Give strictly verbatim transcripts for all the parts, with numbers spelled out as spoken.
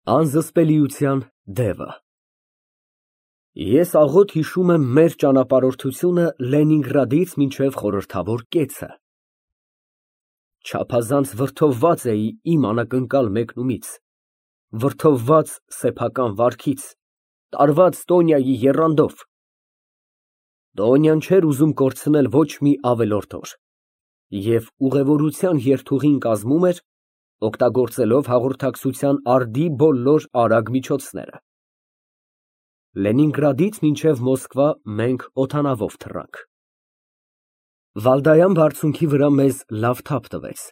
Անզսպելիության դևը Ես աղոտ հիշում եմ մեր ճանապարհորդությունը Լենինգրադից մինչև խորհրդավոր կեցը. չափազանց վրդովված էի իմ անակնկալ մեկնումից, վրդովված սեփական վարքից, տարված Տոնյայի եռանդով։ Տոնյան չէր ուզում կորցնել ոչ մի ավելորդ օր և ուղևորության երթուղին կազմում էր, օգտագործելով հաղորդակցության արդի բոլոր արագ միջոցները։ Լենինգրադից մինչև Մոսկվա մենք օդանավով թռանք։ Վալդայան բարձունքի վրա մեզ լավ թափ տվեց,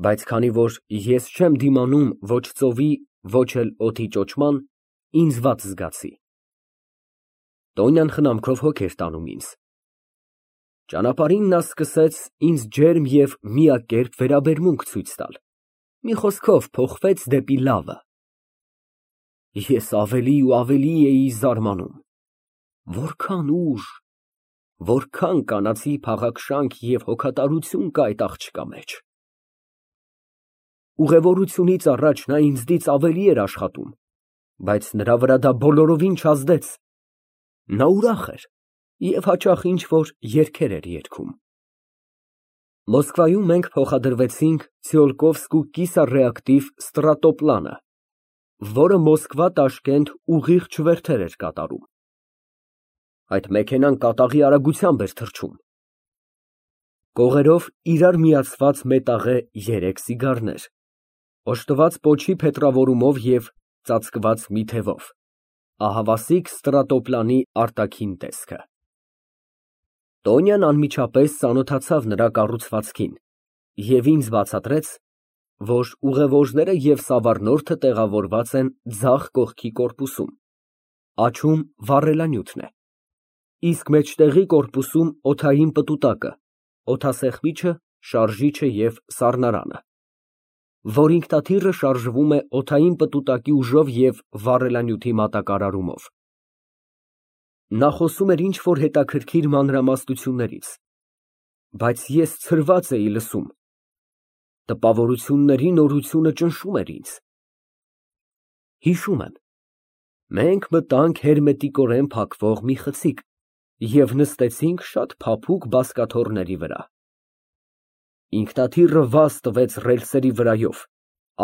բայց քանի որ ես չեմ դիմանում ոչ ծովի, ոչ էլ օդի ճոճման, ինձ վատ զգացի։ Տոնյան խնամքով հոգ էր տանում ինձ։ Ճանապարհին նա սկսեց ինձ ջերմ և միակերպ վերաբերմունք ցույց տալ, մի խոսքով փոխվեց դեպի լավը։ Ես ավելի ու ավելի էի զարմանում, որքան ուժ, որքան կանացի փաղաքշանք և հոգատարություն կա այդ աղջկա մեջ։ Ուղևորությունից առաջ նա ինձնից ավելի էր աշխատում, բայց նրա վրա դա բոլորովին չազդեց։ Նա ուրախ էր և հաճախ ինչ֊որ երգեր էր երգում։ Մոսկվայում մենք փոխադրվեցինք Ցիոլկովսկու կիսառեակտիվ ստրատոպլանը, որը Մոսկվա֊Տաշկենտ ուղիղ չվերթեր էր կատարում։ Այդ մեքենան կատաղի արագությամբ էր թռչում։ Կողերով իրար միացված մետաղե երեք սիգարներ, օժտված պոչի փետրավորումով և ծածկված մի թևով, ահավասիկ ստրատոպլանի արտաքին տեսքը։ Տոնյան անմիջապես ծանոթացավ նրա կառուցվածքին և ինձ բացատրեց, որ ուղևորները և սավառնորդը տեղավորված են ձախ կողքի կորպուսում,աջում վառելանյութն է, իսկ մեջտեղի կորպուսում օդային պտուտակը, օդասեղմիչը, շարժիչը և սառնարանը, որ ինքնաթիռը շարժվում է օդային պտուտակի ուժով և վառելանյութի մատակարարումով։ Նա խոսում էր ինչ֊որ հետաքրքիր մանրամասնություններից, բայց ես ցրված էի լսում, տպավորությունների նորությունը ճնշում էր ինձ։ Հիշում եմ, մենք մտանք հերմետիկորեն փակվող մի խցիկ և նստեցինք շատ փափուկ բազկաթոռների վրա։ Ինքնաթիռը վազ տվեց ռելսերի վրայով,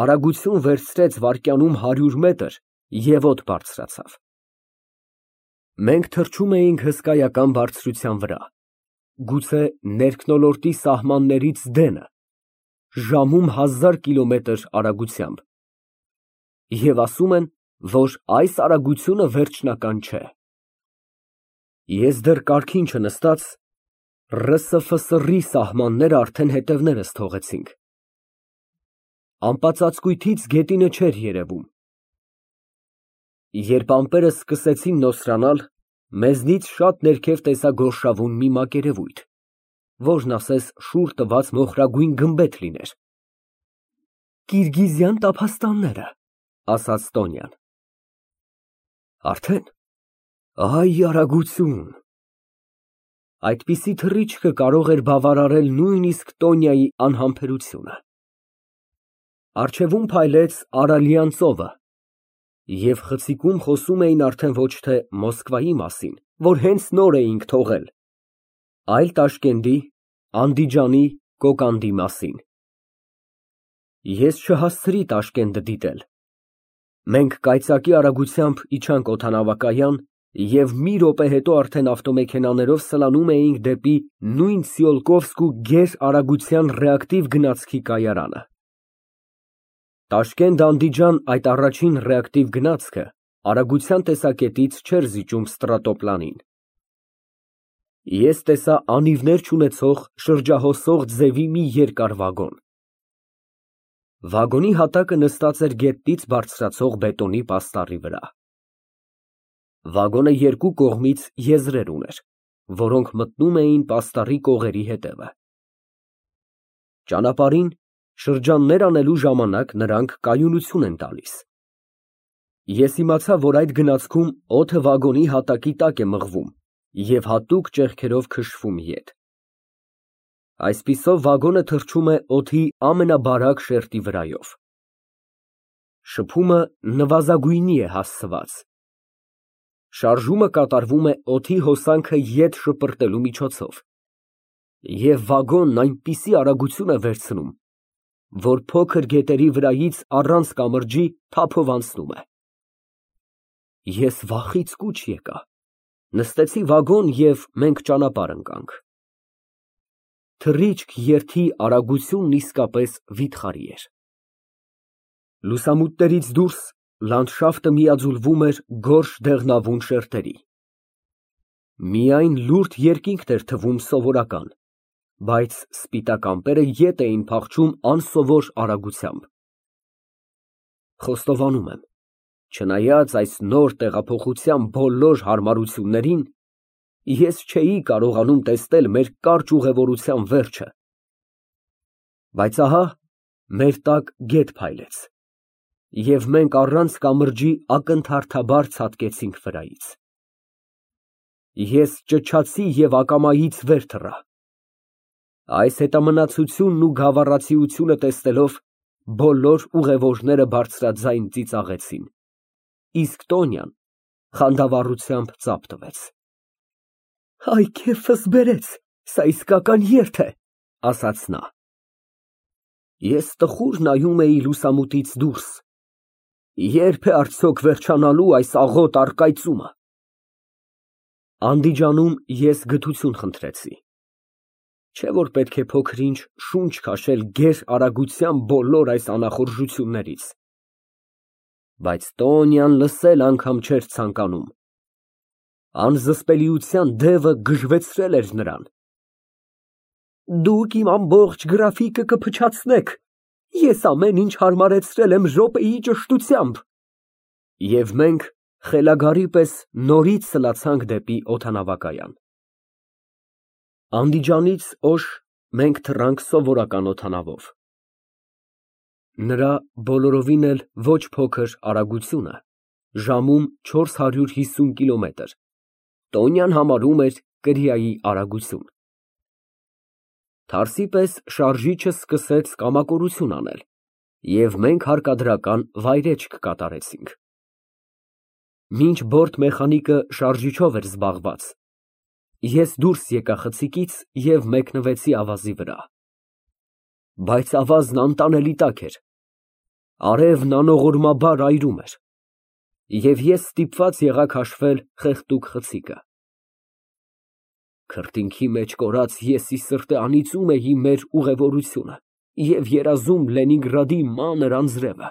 արագություն վերցրեց վայրկյանում հարյուր մետր և օդ բարձրացավ։ Մենք թռչում էինք հսկայական բարձրության վրա, գուցե ներքնոլորտի սահմաններից դենը, ժամում հազար կիլոմետր արագությամբ, և ասում են, որ այս արագությունը վերջնական չէ։ Ես դեռ կառքին չնստած, ՌՍՖՍՌ֊ի սահմանները արդեն հետևներս թողեցինք։ Ամպածածկույթից գետինը չէր երևում։ Երբ ամպերը սկսեցին նոսրանալ, մեզնից շատ ներքև տեսա գորշավուն մի մակերևույթ, որն ասես շուռ տված մոխրագույն գմբեթ լիներ։ Կիրգիզյան տափաստանները, ասաց Տոնյան։ Արդեն, այ արագություն։ Այդպիսի թռիչքը կարող էր բավարարել նույնիսկ Տոնյայի անհամբերությունը։ Առջևում փայլեց Արալյան ծովը, և խցիկում խոսում էին արդեն ոչ թե Մոսկվայի մասին, որ հենց նոր էինք թողել, այլ Տաշկենտի, Անդիջանի, Կոկանդի մասին։ Ես չհասցրի Տաշկենտը դիտել։ Մենք կայծակի արագությամբ իջանք օդանավակայան և մի րոպե հետո արդեն ավտոմեքենաներով սլանում էինք դեպի նույն Ցիոլկովսկու գերարագության ռեակտիվ գնացքի կայարանը։ Տաշկենտ֊Անդիջան այդ առաջին ռեակտիվ գնացքը արագության տեսակետից չէր զիջում ստրատոպլանին։ Ես տեսա անիվներ չունեցող շրջահոսող ձևի մի երկար վագոն։ Վագոնի հատակը նստած էր գետնից բարձրացող բետոնի պաստառի վրա։ Վագոնը երկու կողմից եզրեր ուներ, որոնք մտնում էին պաստառի կողերի հետևը։ Ճանապարհին շրջաններ անելու ժամանակ նրանք կայունություն են տալիս։ Ես իմացա, որ այդ գնացքում օդը վագոնի հատակի տակ է մղվում և հատուկ ճեղքերով քշվում ետ։ Այսպիսով վագոնը թռչում է օդի ամենաբարակ շերտի վրայով։ Շփումը նվազագույնի է հասցված։ Շարժումը կատարվում է օդի հոսանքը ետ շպրտելու միջոցով, և վագոնն այնպիսի արագություն է վերցնում, որ փոքր գետերի վրայից առանց կամրջի թափով անցնում է։ Ես վախից կուչ եկա, նստեցի վագոն և մենք ճանապարհ ընկանք։ Թռիչք երթի արագությունն իսկապես վիթխարի էր։ Լուսամուտներից դուրս լանդշաֆտը միաձուլվում էր գորշ դեղնավուն շերտերի։ Միայն լուրջ երկինքն էր թվում սովորական, բայց սպիտակ ամպերը ետ էին փախչում անսովոր արագությամբ։ Խոստովանում եմ, չնայած այս նոր տեղափոխության բոլոր հարմարություններին, ես չէի կարողանում տեսնել մեր կարճ ուղևորության վերջը։ Բայց ահա մեր տակ գետ փայլեց, և մենք առանց կամրջի ակնթարթաբար ցատկեցինք վրայից։ Ես ճչացի և ակամայից վեր թռա։ Այս հետամնացությունն ու գավառացիությունը տեսնելով, բոլոր ուղևորները բարձրաձայն ծիծաղեցին, իսկ Տոնյան խանդավառությամբ ծափ տվեց։ «Այ քեֆս բերեց, սա իսկական երթ է», ֊ ասաց նա։ Ես տխուր նայում էի լուսամուտից դուրս, ե՞րբ է արդյոք վերջանալու այս աղոտ առկայծումը։ Անդիջանում ես գթություն խնդրեցի, չէ՞ որ պետք է փոքր֊ինչ շունչ քաշել գեր արագության բոլոր այս անախորժություններից։ Բայց Տոնյան լսել անգամ չէր ցանկանում։ Անզսպելիության դևը գժվեցրել էր նրան։ «Դուք իմ ամբողջ գրաֆիկը կփչացնեք, ես ամեն ինչ հարմարեցրել եմ րոպեի ճշտությամբ»։ Եվ մենք խելագարի պես նորից սլացանք դեպի օդանավակայան։ Անդիջանից Օշ մենք թռանք սովորական օդանավով։ Նրա բոլորովին էլ ոչ փոքր արագությունը, ժամում չորս հարյուր հիսուն կիլոմետր, Տոնյան համարում էր կրիայի արագություն։ Թարսի պես շարժիչը սկսեց կամակորություն անել, և մենք հարկադրական վայրէջք կատարեցինք։ Մինչ բորտ մեխանիկը շարժիչով էր զբաղված, ես դուրս եկա խցիկից և մեկնվեցի ավազի վրա։ Բայց ավազն անտանելի տաք էր, արևն անողորմաբար այրում էր, և ես ստիպված եղա քաշվել խեղդուկ խցիկը։ Քրտինքի մեջ կորած ես ի սրտե անիծում էի մեր ուղևորությունը և երազում Լենինգրադի մանր անձրևը։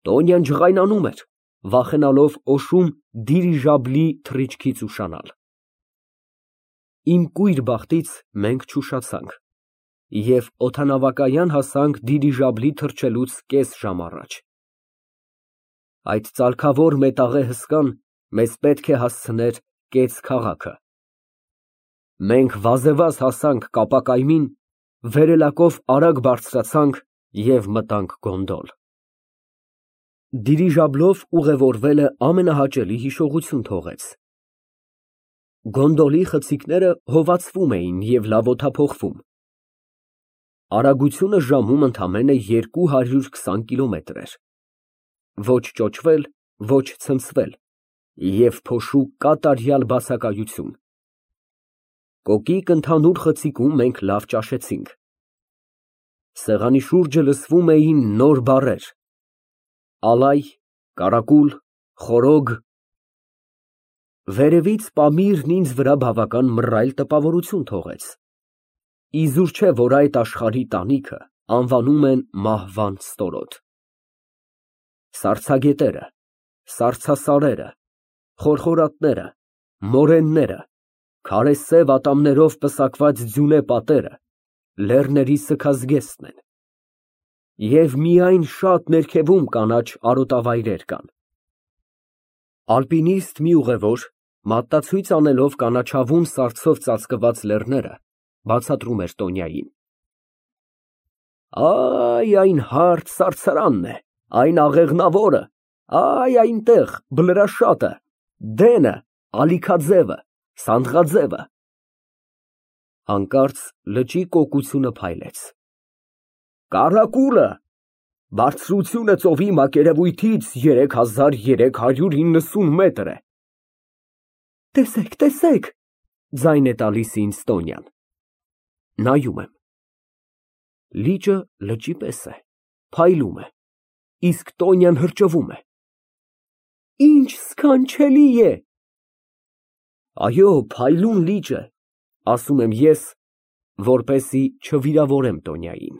Տոնյան ջղայնանում էր, վախենալով Օշում դիրիժաբլի թռիչքից ուշանալ։ Իմ կույր բախտից մենք չուշացանք և օդանավակայան հասանք դիրիժաբլի թռչելուց կես ժամ առաջ։ Այդ ծալքավոր մետաղե հսկան մեզ պետք է հասցներ կեց քաղաքը։ Մենք վազեվազ հասանք կապակայմին, վերելակով արագ բարձրացանք և մտանք գոնդոլ։ Դիրիժաբլով ուղևորվելը ամենահաճելի հիշողություն թողեց։ Գոնդոլի խցիկները հովացվում էին և լավ օդափոխվում։ Արագությունը ժամում ընդամենը երկու հարյուր քսան կիլոմետր էր։ Ոչ ճոճվել, ոչ ցնցվել և փոշու կատարյալ բացակայություն։ Կոկիկ ընդհանուր խցիկում մենք լավ ճաշեցինք։ Սեղանի շուրջը լսվում էին նոր բառեր. ալայ, կարակուլ, խորոգ։ Վերևից Պամիրն ինձ վրա բավական մռայլ տպավորություն թողեց։ Իզուր չէ, որ այդ աշխարհի տանիքը անվանում են մահվան ստորոտ։ Սառցագետերը, սառցասարերը, խորխորատները, մորենները, քարե սև ատամներով պսակված ձյունե պատերը լեռների սգազգեստն են, և միայն շատ ներքևում կանաչ արոտավայրեր կան։ Ալպինիստ մի ուղևոր, մատնացույց անելով կանաչավուն սառցով ծածկված լեռները, բացատրում էր Տոնյային. «Այ, այն հարթ սարսարանն է, այն աղեղնավորը, այ այնտեղ Բլրաշատը, Դենը, Ալիքաձևը, Սանդղաձևը»։ Հանկարծ լճի կոկությունը փայլեց։ «Կարակուլը»։ Բարձրությունը ծովի մակերևույթից երեք հազար երեք հարյուր իննսուն մետր է։ Տեսեք, տեսեք, ձայն է տալիս ինձ Տոնյան։ Նայում եմ։ Լիճը լճի պես է, փայլում է, իսկ Տոնյան հրճվում է։ Ինչ սքանչելի է։ Այո, փայլուն լիճ է, ասում եմ ես, որպեսզի չվիրավորեմ Տոնյային։